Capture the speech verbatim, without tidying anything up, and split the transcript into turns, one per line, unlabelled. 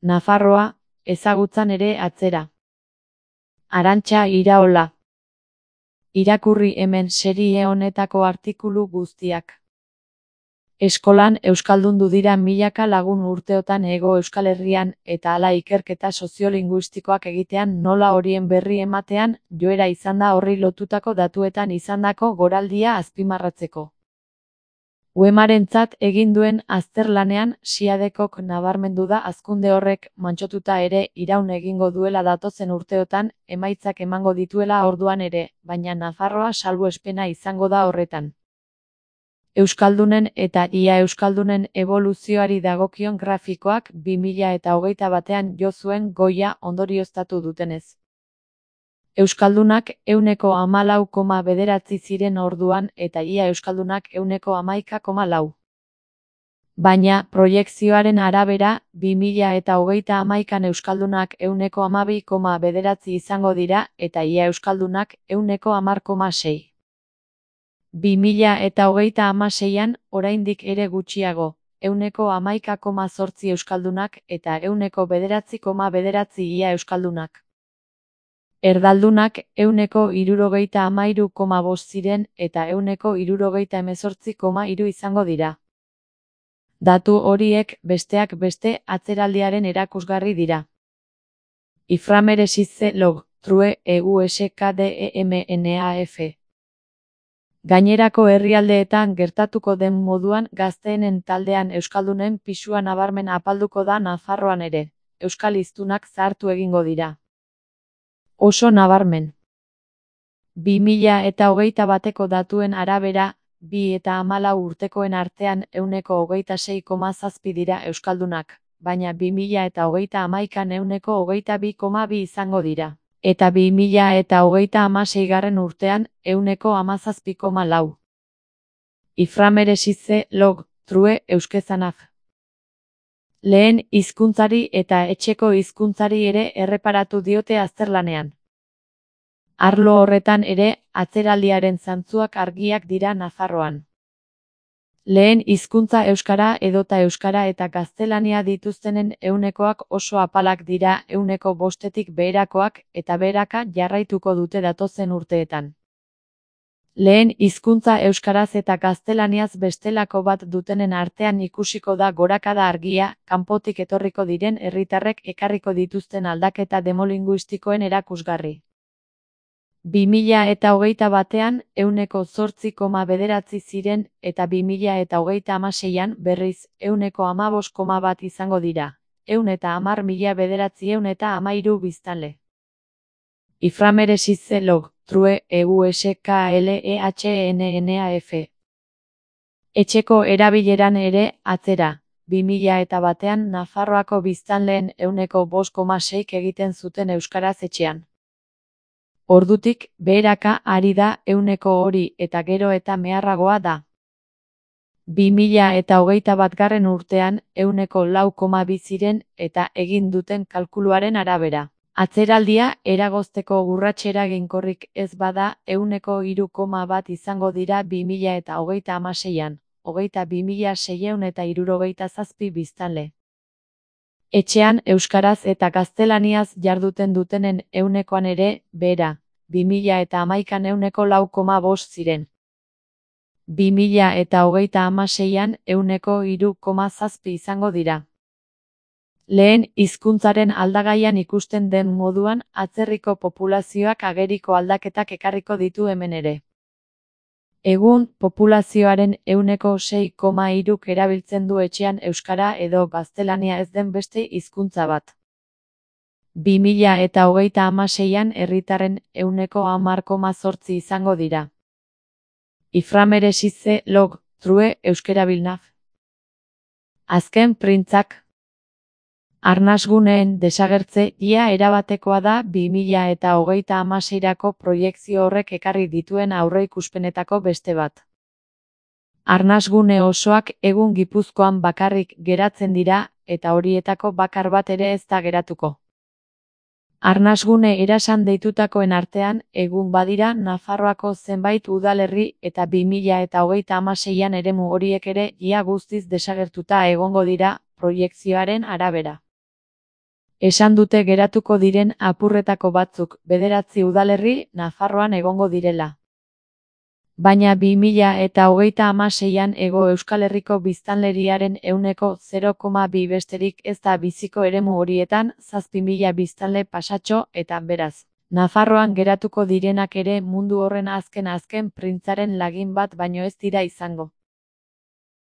Nafarroa, ezagutzan ere atzera. Arantxa Iraola. Irakurri hemen serie honetako artikulu guztiak. Eskolan euskaldundu dira milaka lagun urteotan Hego Euskal Herrian eta hala ikerketa soziolinguistikoak egitean nola horien berri ematean joera izan da horri lotutako datuetan izandako goraldia azpimarratzeko. Uemarentzat egin duen azterlanean Siadekok nabarmendu da hazkunde horrek mantsotuta ere iraun egingo duela datozen urteotan emaitzak emango dituela orduan ere, baina Nafarroa salbuespena izango da horretan. Euskaldunen eta ia euskaldunen eboluzioari dagokion grafikoak bi mila eta hogeita batean jo zuen goia ondorioztatu dutenez. Euskaldunak ehuneko hamalau koma bederatzi ziren orduan eta ia euskaldunak ehuneko hamaika koma lau. Baina, proiekzioaren arabera, bi mila eta hogeita hamaikan euskaldunak ehuneko hamabi koma bederatzi izango dira eta ia euskaldunak ehuneko hamar koma sei. bi mila eta hogeita hamaseian, oraindik ere gutxiago, ehuneko hamaika koma zortzi euskaldunak eta ehuneko bederatzi koma bederatzi ia euskaldunak. Erdaldunak ehuneko hirurogeita hamairu koma bost ziren eta ehuneko hirurogeita hemezortzi koma hiru izango dira. Datu horiek, besteak beste, atzeraldiaren erakusgarri dira. Iframeresize log, true, euskdemnaf. Gainerako herrialdeetan gertatuko den moduan gazteenen taldean euskaldunen pisua nabarmen apalduko da Nafarroan ere, euskal hiztunak zahartu egingo dira. Oso nabarmen. bi mila eta hogeita bateko datuen arabera, bi eta hamalau urtekoen artean ehuneko hogeita sei koma zazpi dira euskaldunak, baina bi mila eta hogeita hamaikan ehuneko hogeita bi koma bi izango dira. Eta bi mila eta hogeita hamaseigarren urtean ehuneko hamazazpi koma lau. Iframeresize log, true, euskezanaf. Lehen hizkuntzari eta etxeko hizkuntzari ere erreparatu diote azterlanean. Arlo horretan ere, atzeraldiaren zantzuak argiak dira Nafarroan. Lehen hizkuntza euskara edota euskara eta gaztelania dituztenen ehunekoak oso apalak dira ehuneko bostetik beherakoak eta beheraka jarraituko dute datozen urteetan. Lehen hizkuntza euskaraz eta gaztelaniaz bestelako bat dutenen artean ikusiko da gorakada argia, kanpotik etorriko diren herritarrek ekarriko dituzten aldaketa demolinguistikoen erakusgarri. bi mila eta hogeita batean ehuneko zortzi koma bederatzi ziren eta bi mila eta hogeita hamaseian berriz ehuneko hamabost koma bat izango dira, ehun eta hamar mila bederatziehun eta hamairu biztanle. Iframeresize log, true, euskaldunaf. Etxeko erabileran ere, atzera, bi mila eta batean Nafarroako biztanleen ehuneko bost koma seik egiten zuten euskaraz etxean. Ordutik, beheraka ari da ehuneko hori eta gero eta meharragoa da. bi mila eta hogeita batgarren urtean ehuneko lau koma bi ziren eta egin duten kalkuluaren arabera. Atzeraldia eragozteko urrats eraginkorrik ez bada ehuneko hiru koma bat izango dira bi mila eta hogeita hamaseian, hogeita bi mila seiehun eta hirurogeita zazpi biztanle. Etxean euskaraz eta gaztelaniaz jarduten dutenen ehunekoan ere, behera, bi mila eta hamaikan ehuneko lau koma bost ziren. bi mila eta hogeita hamaseian ehuneko hiru koma zazpi izango dira. Lehen hizkuntzaren aldagaian ikusten den moduan, atzerriko populazioak ageriko aldaketak ekarriko ditu hemen ere. Egun, populazioaren ehuneko sei koma hiruk erabiltzen du etxean euskara edo gaztelania ez den beste hizkuntza bat. bi mila eta hogeita hamaseian herritarren ehuneko hamar koma zortzi izango dira. Iframeresize log, true, euskerabilnaf. Azken printzak. Arnasguneen desagertze ia erabatekoa da bi mila eta hogeita hamaseirako proiekzio horrek ekarri dituen aurreikuspenetako beste bat. Arnasgune osoak egun Gipuzkoan bakarrik geratzen dira eta horietako bakar bat ere ez da geratuko. Arnasgune erasan deitutakoen artean egun badira Nafarroako zenbait udalerri eta bi mila eta hogeita hamaseian eremu horiek ere ia guztiz desagertuta egongo dira proiekzioaren arabera. Esan dute geratuko diren apurretako batzuk bederatzi udalerri Nafarroan egongo direla. Baina bi mila eta hogeita hamaseian Hego Euskal Herriko biztanleriaren ehuneko zero koma bi besterik ez da biziko eremu horietan, zazpi mila biztanle pasatxo, eta beraz, Nafarroan geratuko direnak ere mundu horren azken azken printzaren lagin bat baino ez dira izango.